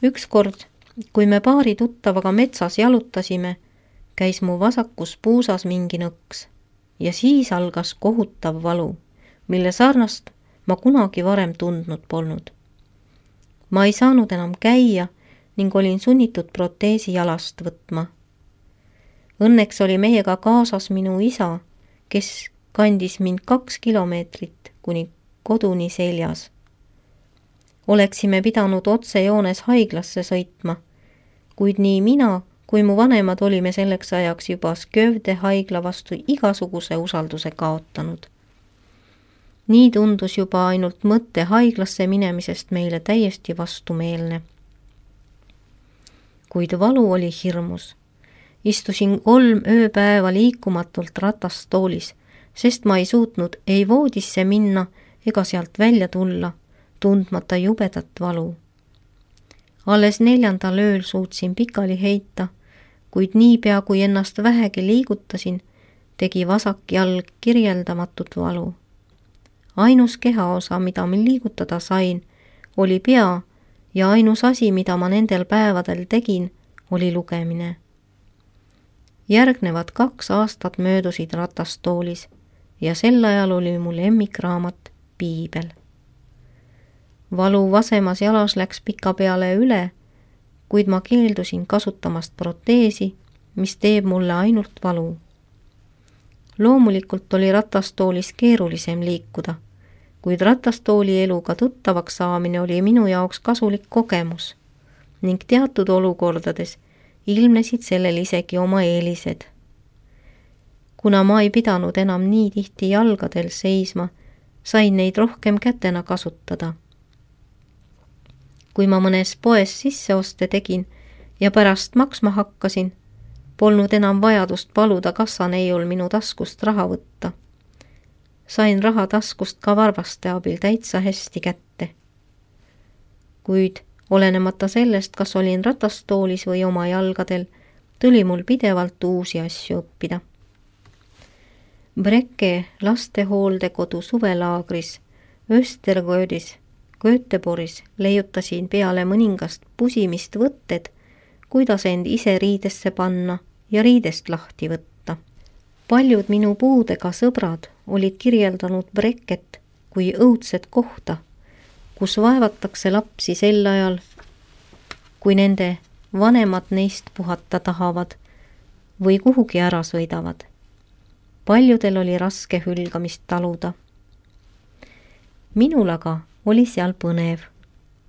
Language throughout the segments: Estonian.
Ükskord, kui me paari tuttavaga metsas jalutasime, käis mu vasakus puusas mingi nõks ja siis algas kohutav valu, mille sarnast ma kunagi varem tundnud polnud. Ma ei saanud enam käia ning olin sunnitud proteesi jalast võtma. Õnneks oli meiega kaasas minu isa, kes kandis mind 2 kilomeetrit kuni koduni seljas. Oleksime pidanud otsejoones haiglasse sõitma, kuid nii mina kui mu vanemad olime selleks ajaks juba Skövde haigla vastu igasuguse usalduse kaotanud. Nii tundus juba ainult mõtte haiglasse minemisest meile täiesti vastumeelne. Kuid valu oli hirmus. Istusin 3 ööpäeva liikumatult ratastoolis, sest ma ei suutnud ei voodisse minna ega sealt välja tulla, tundmata jubedat valu. Alles 4. ööl suutsin pikali heita, kuid niipea kui ennast vähegi liigutasin, tegi vasak jalg kirjeldamatut valu. Ainus kehaosa, mida ma liigutada sain, oli pea ja ainus asi, mida ma nendel päevadel tegin, oli lugemine. Järgnevad 2 aastat möödusid ratastoolis ja sel ajal oli mu lemmikraamat Piibel. Valu vasemas jalas läks pikapeale üle, kuid ma keeldusin kasutamast proteesi, mis teeb mulle ainult valu. Loomulikult oli ratastoolis keerulisem liikuda, kuid ratastooli eluga tuttavaks saamine oli minu jaoks kasulik kogemus ning teatud olukordades ilmnesid sellel isegi oma eelised. Kuna ma ei pidanud enam nii tihti jalgadel seisma, sain neid rohkem kätena kasutada. Kui ma mõnes poes sisseoste tegin ja pärast maksma hakkasin, polnud enam vajadust paluda kassaneiul minu taskust raha võtta. Sain raha taskust ka varvaste abil täitsa hästi kätte. Kuid olenemata sellest, kas olin ratastoolis või oma jalgadel, tuli mul pidevalt uusi asju õppida. Brecke lastehooldekodu suvelaagris Östergöödis Göteborgis leiutasin peale mõningast pusimist võtted, kuidas end ise riidesse panna ja riidest lahti võtta. Paljud minu puudega sõbrad olid kirjeldanud Brecket kui õudset kohta, kus vaevatakse lapsi sel ajal, kui nende vanemad neist puhata tahavad või kuhugi ära sõidavad. Paljudel oli raske hülgamist taluda. Minul aga oli seal põnev.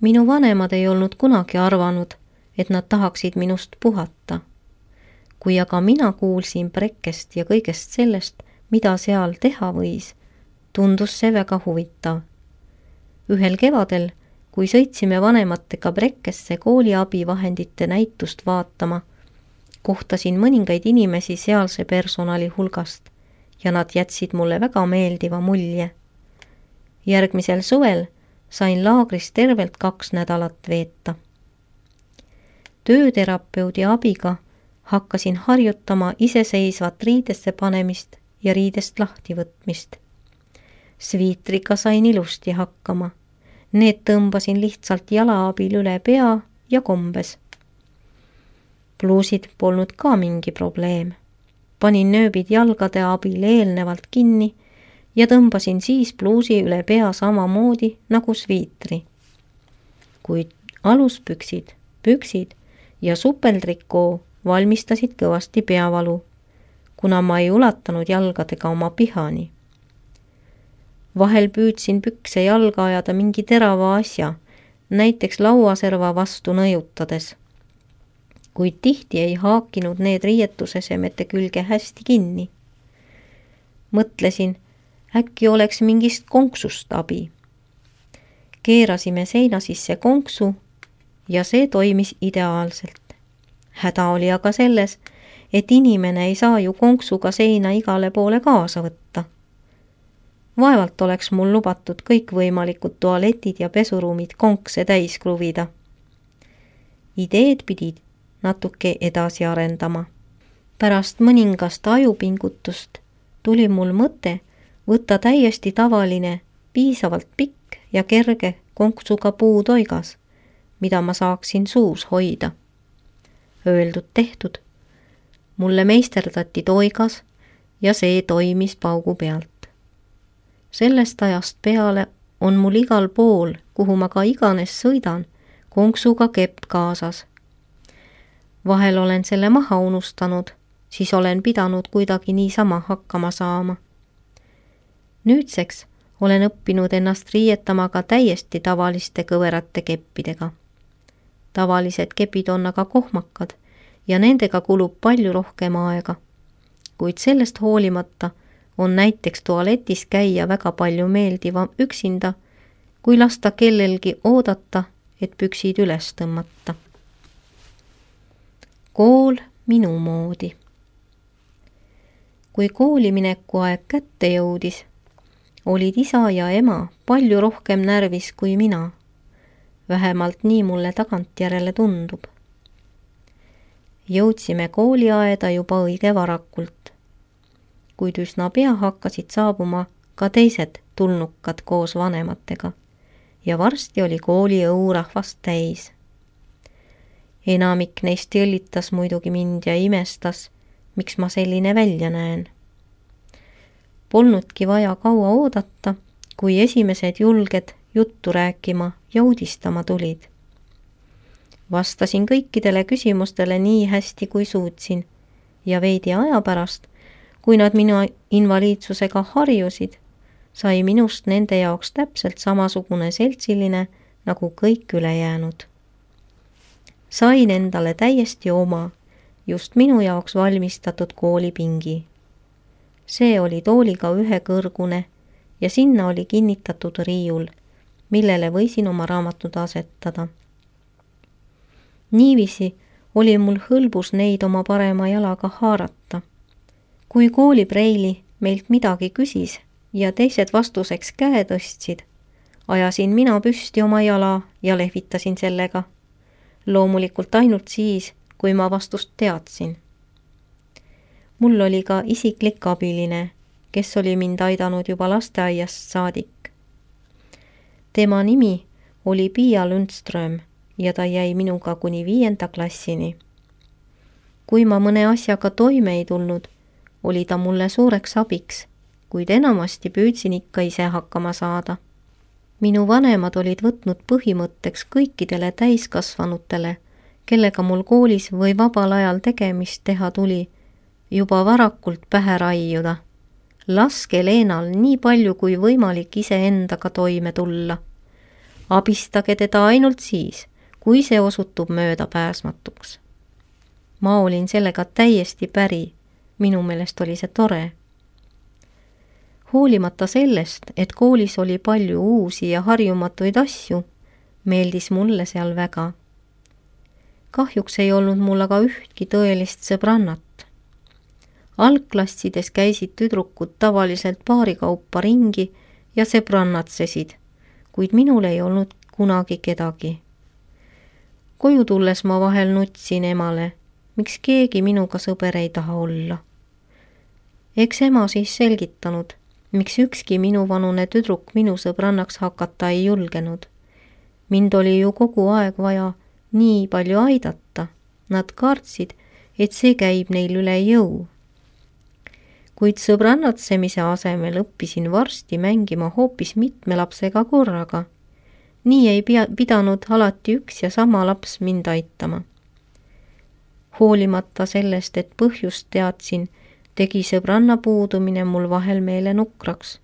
Minu vanemad ei olnud kunagi arvanud, et nad tahaksid minust puhata. Kui aga mina kuulsin Breckest ja kõigest sellest, mida seal teha võis, tundus see väga huvitav. Ühel kevadel, kui sõitsime vanematega Breckesse kooli abivahendite näitust vaatama, kohtasin mõningaid inimesi sealse personali hulgast ja nad jätsid mulle väga meeldiva mulje. Järgmisel suvel sain laagris tervelt 2 nädalat veeta. Tööterapeudi abiga hakkasin harjutama iseseisvat riidesse panemist ja riidest lahti võtmist. Sviitriga sain ilusti hakkama. Need tõmbasin lihtsalt jala abil üle pea ja kombes. Pluusid polnud ka mingi probleem. Panin nööbid jalgade abil eelnevalt kinni ja tõmbasin siis pluusi üle pea samamoodi nagu sviitri. Kuid aluspüksid, püksid ja supeltrikoo valmistasid kõvasti peavalu, kuna ma ei ulatanud jalgadega oma pihani. Vahel püüdsin pükse jalga ajada mingi terava asja, näiteks lauaserva vastu nõjutades. Kuid tihti ei haakinud need riietusesemete külge hästi kinni. Mõtlesin, äkki oleks mingist konksust abi. Keerasime seina sisse konksu ja see toimis ideaalselt. Häda oli aga selles, et inimene ei saa ju konksuga seina igale poole kaasa võtta. Vaevalt oleks mul lubatud kõikvõimalikud tualetid ja pesuruumid konkse täis kruvida. Ideed pidid natuke edasi arendama. Pärast mõningast ajupingutust tuli mul mõte võtta täiesti tavaline, piisavalt pikk ja kerge konksuga puutoigas, mida ma saaksin suus hoida. Öeldud tehtud. Mulle meisterdati toigas ja see toimis paugu pealt. Sellest ajast peale on mul igal pool, kuhu ma ka iganes sõidan, konksuga kepp kaasas. Vahel olen selle maha unustanud, siis olen pidanud kuidagi niisama hakkama saama. Nüüdseks olen õppinud ennast riietama ka täiesti tavaliste kõverate keppidega. Tavalised kepid on aga kohmakad ja nendega kulub palju rohkem aega. Kuid sellest hoolimata on näiteks tualetis käia väga palju meeldivam üksinda, kui lasta kellelgi oodata, et püksid üles tõmmata. Kool minu moodi. Kui koolimineku aeg kätte jõudis, olid isa ja ema palju rohkem närvis kui mina. Vähemalt nii mulle tagantjärele tundub. Jõudsime kooliaeda juba õige varakult, kuid üsna pea hakkasid saabuma ka teised tulnukad koos vanematega ja varsti oli kooli õurahvast täis. Enamik neist jõllitas muidugi mind ja imestas, miks ma selline välja näen. Polnudki vaja kaua oodata, kui esimesed julged juttu rääkima ja uudistama tulid. Vastasin kõikidele küsimustele nii hästi kui suutsin ja veidi aja pärast, kui nad minu invaliidsusega harjusid, sai minust nende jaoks täpselt samasugune seltsiline nagu kõik ülejäänud. Sain endale täiesti oma, just minu jaoks valmistatud koolipingi. See oli tooliga ühekõrgune ja sinna oli kinnitatud riiul, millele võisin oma raamatud asetada. Niiviisi oli mul hõlbus neid oma parema jalaga haarata. Kui koolipreili meilt midagi küsis ja teised vastuseks käe tõstsid, ajasin mina püsti oma jala ja lehvitasin sellega. Loomulikult ainult siis, kui ma vastust teadsin. Mul oli ka isiklik abiline, kes oli mind aidanud juba lasteaiast saadik. Tema nimi oli Pia Lundström ja ta jäi minuga kuni 5. klassini. Kui ma mõne asjaga toime ei tulnud, oli ta mulle suureks abiks, kuid enamasti püüdsin ikka ise hakkama saada. Minu vanemad olid võtnud põhimõtteks kõikidele täiskasvanutele, kellega mul koolis või vabal ajal tegemist teha tuli, juba varakult pähe raiuda. Laske Leenal nii palju kui võimalik iseendaga toime tulla. Abistage teda ainult siis, kui see osutub möödapääsmatuks. Ma olin sellega täiesti päri, minu meelest oli see tore. Hoolimata sellest, et koolis oli palju uusi ja harjumatuid asju, meeldis mulle seal väga. Kahjuks ei olnud mul aga ühtki tõelist sõbrannat. Algklassides käisid tüdrukud tavaliselt paarikaupa ringi ja sõbrannatsesid, kuid minul ei olnud kunagi kedagi. Koju tulles ma vahel nutsin emale, miks keegi minuga sõber ei taha olla. Eks ema siis selgitanud, miks ükski minuvanune tüdruk minu sõbrannaks hakata ei julgenud. Mind oli ju kogu aeg vaja nii palju aidata. Nad kartsid, et see käib neil üle jõu. Kuid sõbrannatsemise asemel õppisin varsti mängima hoopis mitme lapsega korraga. Nii ei pidanud alati üks ja sama laps mind aitama. Hoolimata sellest, et põhjust teadsin, tegi sõbranna puudumine mul vahel meele nukraks.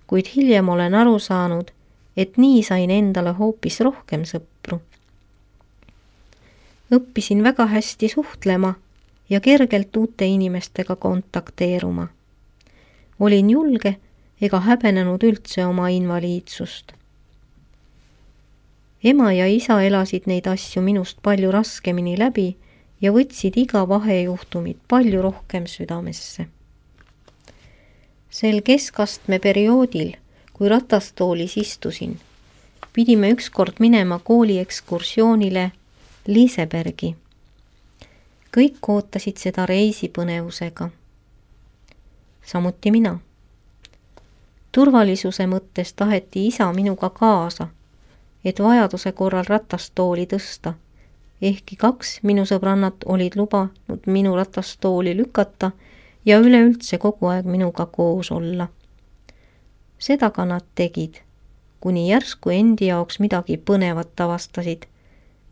Kuid hiljem olen aru saanud, et nii sain endale hoopis rohkem sõpru. Õppisin väga hästi suhtlema ja kergelt uute inimestega kontakteeruma. Olin julge ega häbenenud üldse oma invaliidsust. Ema ja isa elasid neid asju minust palju raskemini läbi ja võtsid iga vahejuhtumit palju rohkem südamesse. Sel keskastme perioodil, kui ratastoolis istusin, pidime ükskord minema kooli ekskursioonile Lisebergi. Kõik ootasid seda reisi põnevusega. Samuti mina. Turvalisuse mõttes taheti isa minuga kaasa, et vajaduse korral ratastooli tõsta, ehkki 2 minu sõbrannat olid lubanud minu ratastooli lükata ja üleüldse kogu aeg minuga koos olla. Seda ka nad tegid, kuni järsku endi jaoks midagi põnevat avastasid,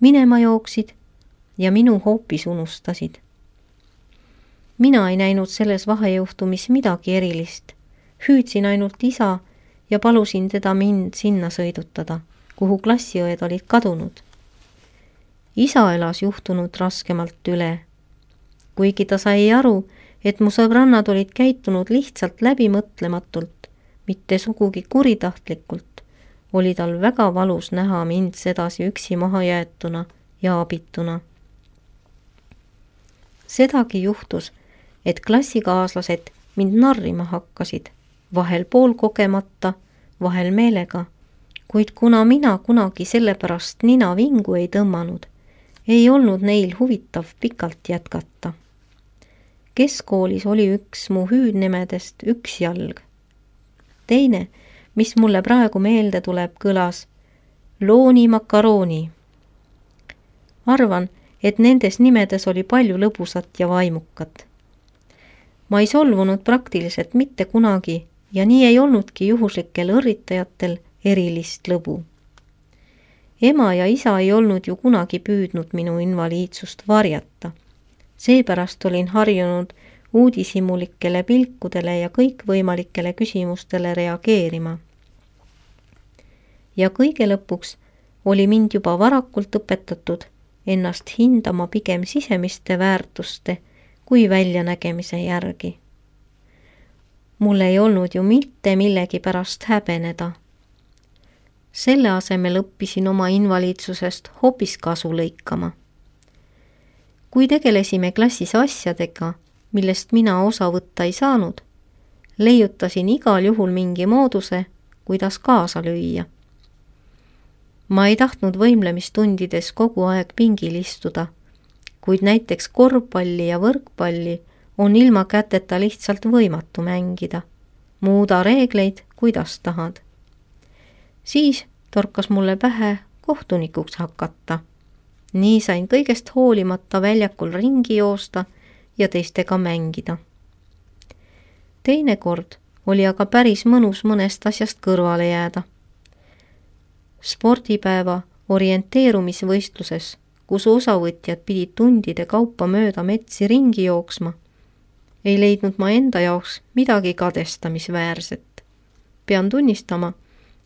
minema jooksid ja minu hoopis unustasid. Mina ei näinud selles vahejuhtumis midagi erilist, hüüdsin ainult isa ja palusin teda mind sinna sõidutada, kuhu klassiõed olid kadunud. Isa elas juhtunud raskemalt üle, kuigi ta sai aru, et mu sõbrannad olid käitunud lihtsalt läbimõtlematult, mitte sugugi kuritahtlikult, oli tal väga valus näha mind sedasi üksi maha jäetuna ja abituna. Sedagi juhtus, et klassikaaslased mind narrima hakkasid, vahel poolkogemata, vahel meelega, kuid kuna mina kunagi sellepärast nina vingu ei tõmmanud, ei olnud neil huvitav pikalt jätkata. Keskkoolis oli üks mu hüüdnimedest üks jalg. Teine, mis mulle praegu meelde tuleb, kõlas Looni makarooni. Arvan, et nendes nimedes oli palju lõbusat ja vaimukat. Ma ei solvunud praktiliselt mitte kunagi ja nii ei olnudki juhuslikel õrritajatel erilist lõbu. Ema ja isa ei olnud ju kunagi püüdnud minu invaliidsust varjata. Seepärast olin harjunud uudishimulikele pilkudele ja kõikvõimalikele küsimustele reageerima. Ja kõige lõpuks oli mind juba varakult õpetatud ennast hindama pigem sisemiste väärtuste kui väljanägemise järgi. Mul ei olnud ju mitte millegi pärast häbeneda. Selle asemel õppisin oma invaliidsusest hoopis kasu lõikama. Kui tegelesime klassis asjadega, millest mina osa võtta ei saanud, leiutasin igal juhul mingi mooduse, kuidas kaasa lüüa. Ma ei tahtnud võimlemistundides kogu aeg pingil istuda, kuid näiteks korvpalli ja võrkpalli on ilma käteta lihtsalt võimatu mängida. Muuda reegleid, kuidas tahad. Siis torkas mulle pähe kohtunikuks hakata. Nii sain kõigest hoolimata väljakul ringi joosta ja teistega mängida. Teinekord oli aga päris mõnus mõnest asjast kõrvale jääda. Spordipäeva orienteerumisvõistluses, kus osavõtjad pidid tundide kaupa mööda metsi ringi jooksma, ei leidnud ma enda jaoks midagi kadestamisväärset. Pean tunnistama,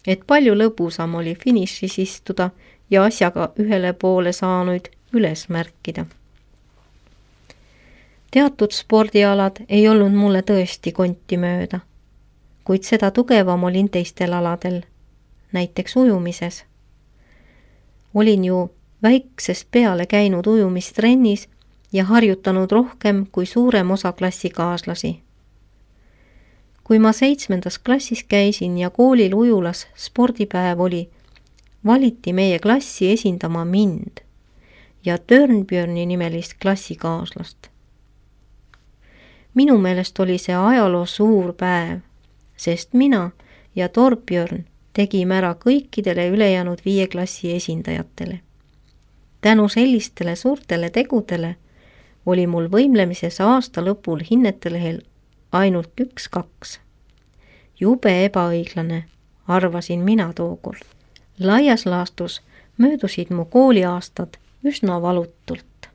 et palju lõbusam oli finišis istuda ja asjaga ühele poole saanuid üles märkida. Teatud spordialad ei olnud mulle tõesti konti mööda, kuid seda tugevam olin teistel aladel, näiteks ujumises. Olin ju väiksest peale käinud ujumistrennis ja harjutanud rohkem kui suurem osa klassikaaslasi. Kui ma 7. klassis käisin ja koolil ujulas spordipäev oli, valiti meie klassi esindama mind ja Törnbjörni nimelist klassikaaslast. Minu meelest oli see ajaloo suur päev, sest mina ja Torbjörn tegime ära kõikidele ülejäänud 5 klassi esindajatele. Tänu sellistele suurtele tegudele oli mul võimlemises aasta lõpul hinnetelehel ainult 1-2. Jube ebaõiglane, arvasin mina tookord. Laias laastus möödusid mu kooliaastad üsna valutult.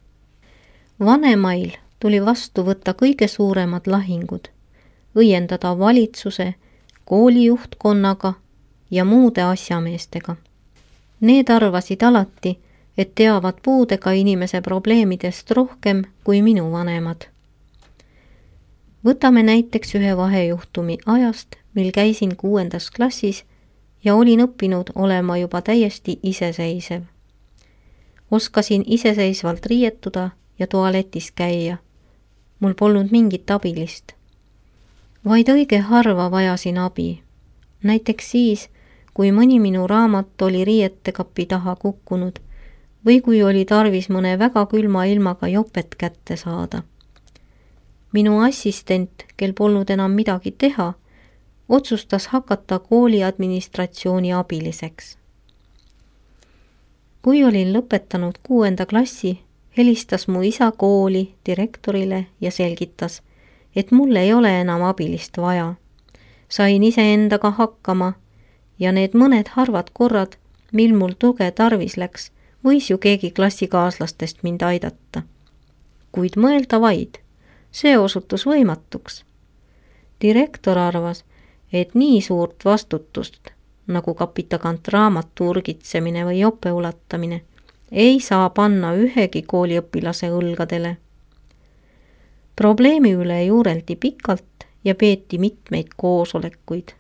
Vanemail tuli vastu võtta kõige suuremad lahingud, õiendada valitsuse, koolijuhtkonnaga ja muude asjameestega. Need arvasid alati, et teavad puudega inimese probleemidest rohkem kui minu vanemad. Võtame näiteks ühe vahejuhtumi ajast, mil käisin 6. klassis ja olin õppinud olema juba täiesti iseseisev. Oskasin iseseisvalt riietuda ja tualetis käia. Mul polnud mingit abilist. Vaid õige harva vajasin abi. Näiteks siis, kui mõni minu raamat oli riietekapi taha kukkunud või kui oli tarvis mõne väga külma ilmaga jopet kätte saada. Minu assistent, kel polnud enam midagi teha, otsustas hakata kooli administratsiooni abiliseks. Kui olin lõpetanud 6. klassi, helistas mu isa kooli direktorile ja selgitas, et mul ei ole enam abilist vaja. Sain iseendaga hakkama ja need mõned harvad korrad, mil mul tuge tarvis läks, võis ju keegi klassikaaslastest mind aidata. Kuid mõelda vaid, see osutus võimatuks. Direktor arvas, et nii suurt vastutust, nagu kapitagant raamatu urgitsemine või jope ulatamine, ei saa panna ühegi kooliõpilase õlgadele. Probleemi üle juureldi pikalt ja peeti mitmeid koosolekuid,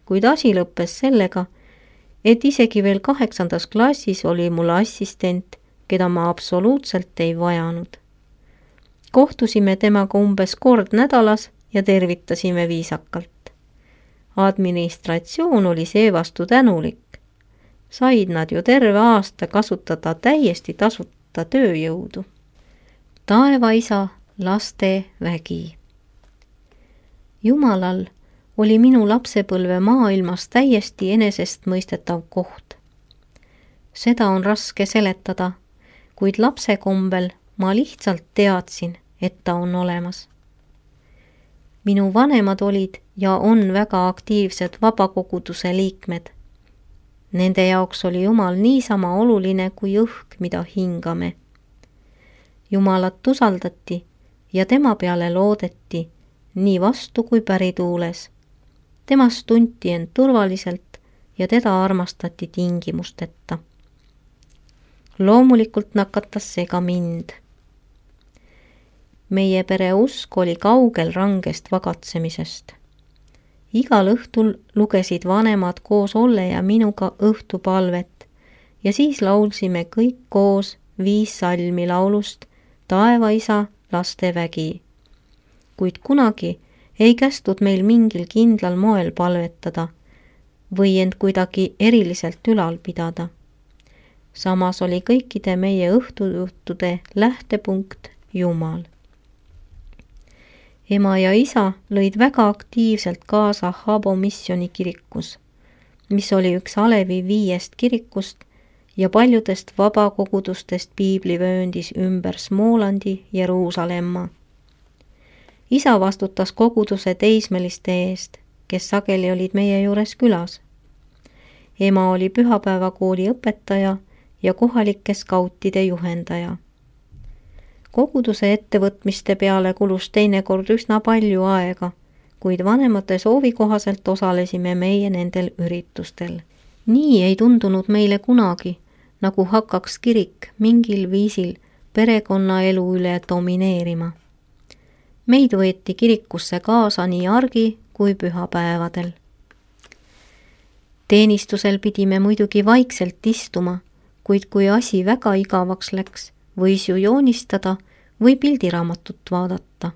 kuid asi lõppes sellega, et isegi veel 8. klassis oli mul assistent, keda ma absoluutselt ei vajanud. Kohtusime temaga umbes kord nädalas ja tervitasime viisakalt. Administratsioon oli seevastu tänulik. Said nad ju terve aasta kasutada täiesti tasuta tööjõudu. Taevaisa, laste vägi. Jumalal oli minu lapsepõlve maailmas täiesti enesestmõistetav koht. Seda on raske seletada, kuid lapse kombel ma lihtsalt teadsin, et ta on olemas. Minu vanemad olid ja on väga aktiivsed vabakoguduse liikmed. Nende jaoks oli Jumal niisama oluline kui õhk, mida hingame. Jumalat usaldati ja tema peale loodeti nii vastu kui pärituules. Temast tunti end turvaliselt ja teda armastati tingimusteta. Loomulikult nakatas see ka mind. Meie pere usk oli kaugel rangest vagatsemisest. Igal õhtul lugesid vanemad koos Olle ja minuga õhtupalvet ja siis laulsime kõik koos 5 salmi laulust Taevaisa, laste vägi. Kuid kunagi ei kästud meil mingil kindlal moel palvetada või end kuidagi eriliselt ülal pidada. Samas oli kõikide meie õhtujuhtude lähtepunkt Jumal. Ema ja isa lõid väga aktiivselt kaasa Habo Missioni kirikus, mis oli üks Alevi 5 kirikust ja paljudest vabakogudustest piiblivööndis ümber Smolandi Jeruusalemma. Isa vastutas koguduse teismeliste eest, kes sageli olid meie juures külas. Ema oli pühapäevakooli õpetaja ja kohalike skautide juhendaja. Koguduse ettevõtmiste peale kulus teinekord üsna palju aega, kuid vanemate soovi kohaselt osalesime meie nendel üritustel. Nii ei tundunud meile kunagi, nagu hakkaks kirik mingil viisil perekonnaelu üle domineerima. Meid võeti kirikusse kaasa nii argi kui pühapäevadel. Teenistusel pidime muidugi vaikselt istuma, kuid kui asi väga igavaks läks, võis ju joonistada või pildiraamatut vaadata.